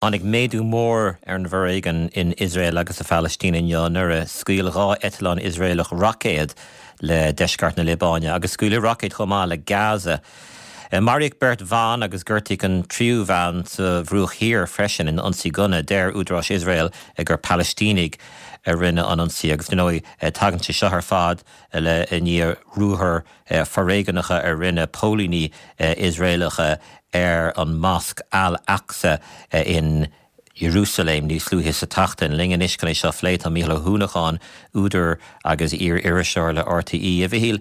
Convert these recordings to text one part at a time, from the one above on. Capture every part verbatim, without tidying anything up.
Tháinig méadú mór ar an bhforéigean in Iosrael agus sa Phalaistín inniu nuair a scaoil dhá eitleán Iosraelach roicéad le deisceart na Liobáine agus scaoileadh roicéid chomh maith le Gaza. Maraíodh beirt bhan agus gortaíodh an tríú bhean sa Bhruach Thiar freisin in ionsaí gunna. Deir údaráis Iosrael gur Palaistínigh a rinne an ionsaí agus ndóigh tagann sé seo ar fad le i ndiaidh ruathair foréigneacha a rinne póilíní Iosraelacha ar an Mosc Al-Aqsa in Jerusalem níos luaithe sa tseachtain. Linn anois chun é seo a phlé tá Mícheál Ó hUanacháin, údar agus iar-iriseoir le R T E. A Mhichíl,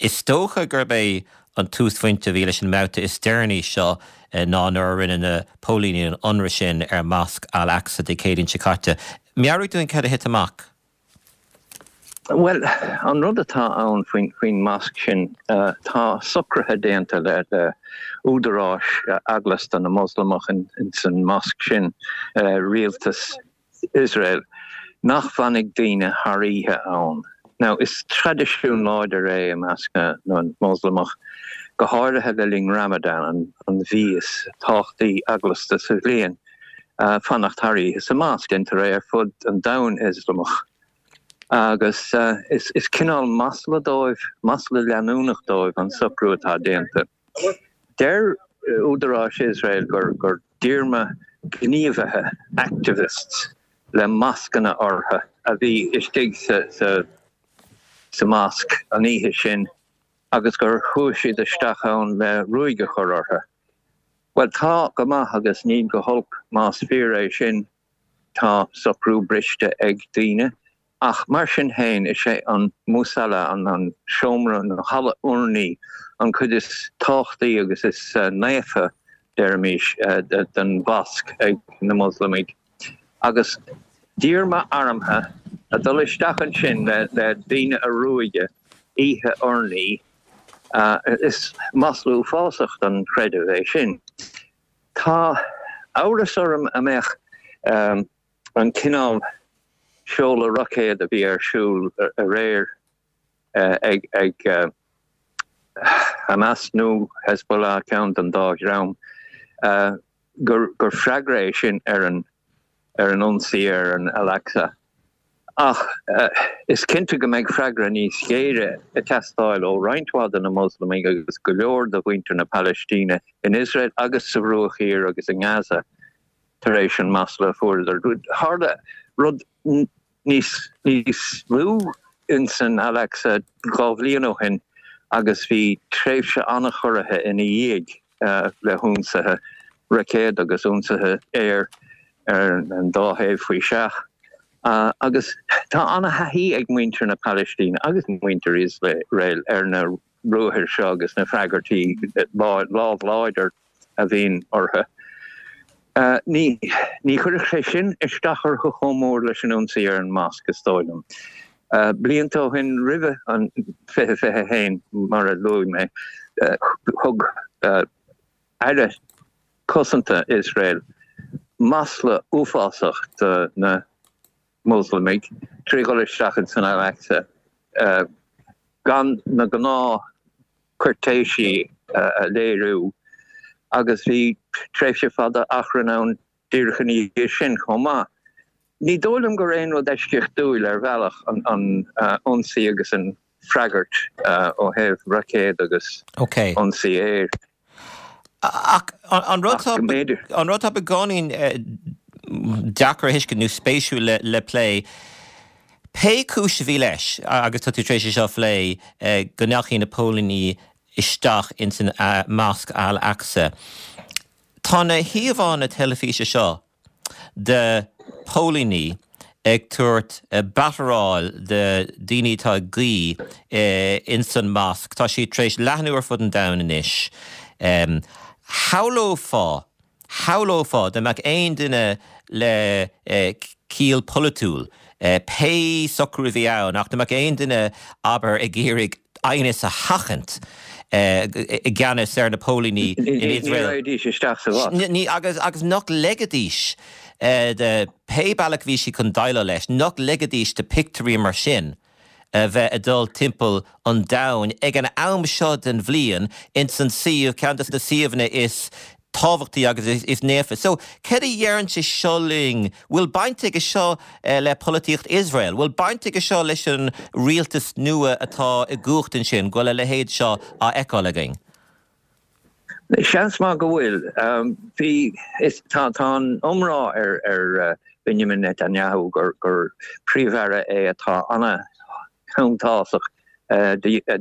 is dócha gurb é an túsphointe a bhí leis an mbabhta is deireanaí seo ná nuair a rinne na póilíní an ionradh sin ar Mosc Al-Aqsa Dé Céadaoin seo caite. Meabhraigh dúinn cad a thit amach. Well, an rud atá ann faoin faoin mosc sin, uh, tá socruithe déanta le le údaráis uh, eaglasta na Moslamach in, in san mosc sin, uh, rialtas Israel, nach bhfanfaidh daoine thar oíche ann. Now, is traidisiún láidir é i measc na, na Moslamach, go háirithe le linn Ramadan, an, an mhí is tábhachtaí eaglasta sa bhliain, uh, fanacht thar oíche sa mosc déantar é ar fud an domhain Ioslamach. Agus uh, is, is cineál masla dóibh, masla leanúnach dóibh an socrú atá déanta. Deir údaráis Israel gur gur díorma gníomhaithe, activists, le mascanna orthu a bhí istigh sa, sa, sa mosc an oíche sin agus gur chuaigh siad isteach ann le ruaig a chur orthu. Well, tá go maith agus níl go holc más fíor é sin. Tá socrú briste ag daoine. Ach mar sin féin, is é an musalla, an an seomra na halla urnaí, an chuid is tábhachtaí agus is uh, naofa, deirimis, uh, den mhosc ag na Moslamaigh. Agus díorma armtha a dul isteach ansin le, le daoine a ruaigeadh oíche urnaí, uh, is maslú uafásach don chreideamh é sin. Tá amhras orm an mbeadh um, an cineál seoladh roicéad a bhí ar siúl aréir uh, ag ag uh, Hamas nó Hezbollah, ceann den dá dhream, uh, gur, gur freagra é sin ar an ar an ionsaí ar an Al-Aqsa. Ach uh, is cinnte go mbeidh freagra níos géire ag teastáil ó roinnt mhaith de na Moslamaigh agus go leor de mhuintir na Palaistíne in Israel agus sa Bhruach Thiar agus in Gaza tar éis an masla fuaireadar. Tharla rud níos níos lú in san Al-Aqsa dhá bhliain ó shin agus bhí tréimhse an-chorraithe ina dhiaidh uh, le hionsaithe roicéad agus ionsaithe aeir ar an dá thaobh faoi seach. Uh, agus tá an-thaithí ag muintir na Palaistíne agus muintir Israel ar na ruathair seo agus na freagairtí lámh láidir a bhíonn orthu. Uh, ní ní chuirfeadh sé sin isteach orthu chomh mór leis an ionsaí ar an mosc, is dóigh liom. Uh, blianta ó shin, roimh an fiche fiche haon, mar a luaigh mé, uh, thug uh, aire cosanta Israel masla uafásach do na Moslamaigh trí dhul isteach san Al-Aqsa uh, gan na gnáth cúirtéisí uh, a léiriú, agus bhí tréimhse fada achrann ann díreach ina dhiaidh sin chomh maith. Ní dóigh liom gur aon rud eisceachtúil ar bhealach an an uh, ionsaí agus an freagairt uh, ó thaobh roicéad agus okay. ionsaí aeir. Ach an rud an rud beagáinín deacair a thuiscint nó spéisiúil le, le plé. Pé cúis a bhí leis, agus tá tú tar éis seo a phlé, go ndeachaigh na póilíní isteach in san Mosc Al-Aqsa. Tá na híomhánna teilifíse seo de póilíní ag tabhairt bataráil de daoine atá ag guí in san mosc. Tá sí tar éis leathnú ar fud an domhain anois. Um, Shamhlófá shamhlófá dá mbeadh aon duine le eh, ciall polaitiúil, Eh, pé socrú a bhí ann, ach dá mbeadh aon duine, abair, ag iarraidh aighneas a sheachaint i gceannas ar na póilíní in Israel. Ní agus agus nach ligfidís de pé bealach bhí sí chun déileáil leis, nach ligfidís do pictiúirí mar sin bheith ag dul timpeall an domhain ag an am seo den bhliain in san suíomh, ceann de na suíomhanna is tábhachtaí agus is, is naofa. So céard a deireann sé seo linn, bhfuil baint aige seo eh, le polaitíocht Iosrael, bhfuil baint aige seo leis an rialtas nua atá i gcumhacht ansin, go bhfuil a leithéid seo á fheiceáil againn. Seans maith go bhfuil um, bhí tá tá iomrá ar ar uh, Benjamin Netanyahu gur gur príomh-aire é atá an-shuntasach uh,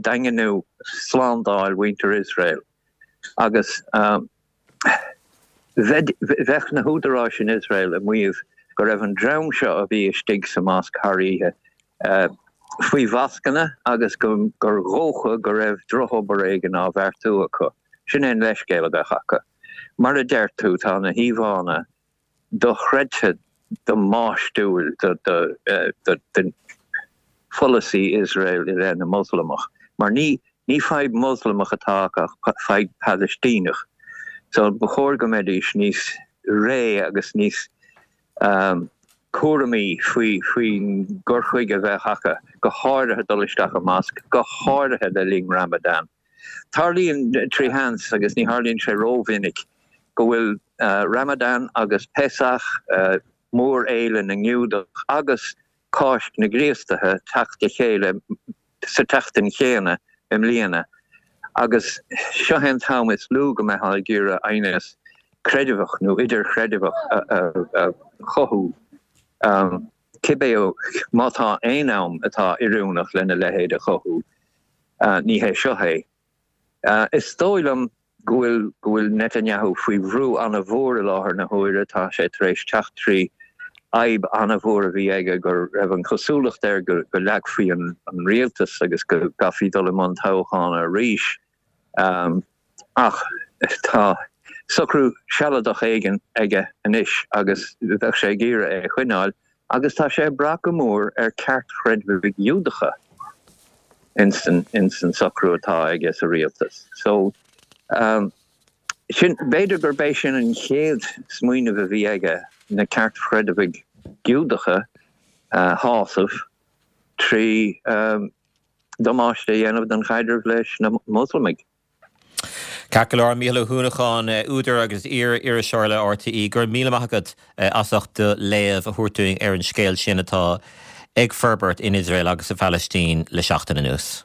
daingniú slándáil mhuintir Iosrael. Agus um, bheadh na húdaráis in Iosrael ag maíomh go raibh an dream seo a bhí istigh sa mosc thar oíche uh, faoi mhascanna agus go gur dhócha go raibh drochobair éigin á bheartú acu. Sin é an leithscéal a bheadh acu. Mar a deir tú tá na híomhánna dochreidte damáistiúil do pholasaí Iosrael i leith na Moslamach. Mar ní ní fadhb Moslamach atá ach fadhb Palaistíneach. So ba chóir go mbeidís níos réidhe agus níos um, cúramaí faoi faoin gcur chuige a bheith acu go háirithe dul isteach i mosc, go háirithe le linn Ramadan. Tarlaíonn trí sheans agus ní tharlaíonn sé rómhinic go bhfuil uh, Ramadan agus Pesach uh, mórfhéile na nGiúdach agus Cáisc na gCríostaithe teacht le chéile sa tseachtain chéanna i mbliana. Agus seo an t-am is lú go mbeifeá ag iarraidh aighneas creideamhach nó idirchreideamhach a chothú. Um, Cibé má tá aon am atá oiriúnach lena leithéid a chothú uh, ní hé seo é. Uh, is dóigh liom go bhfuil go bhfuil Netanyahu faoi bhrú an-mhór i láthair na huaire tá sé tar éis teacht trí fhadhb an-mhór a bhí aige go raibh an chosúlacht air go go leagfaí an, an rialtas agus go gcaithfí dul i mbun toghcháin arís. Um, ach tá socrú sealadach éigin aige anois agus bheadh sé ag iarraidh é a choinneáil, agus tá sé ag brath go mór ar cheartchreidmhigh Ghiúdacha insan insan socrú atá aige sa rialtas. So um, sin b'fhéidir gurb é sin an chéad smaoineamh a bhí aige na ceartchreidmhigh Ghiúdacha uh, shásamh trí um, damáiste a dhéanamh don chaidreamh leis na Moslamaigh. Ceart go leor Mícheál Ó hUanacháin údar agus iar-iriseoir le RTÉ gur míle maith agat as ucht do léamh a thabhairt dúinn ar an scéal sin atá ag forbairt in Iosrael agus sa Phalaistín le seachtain anuas.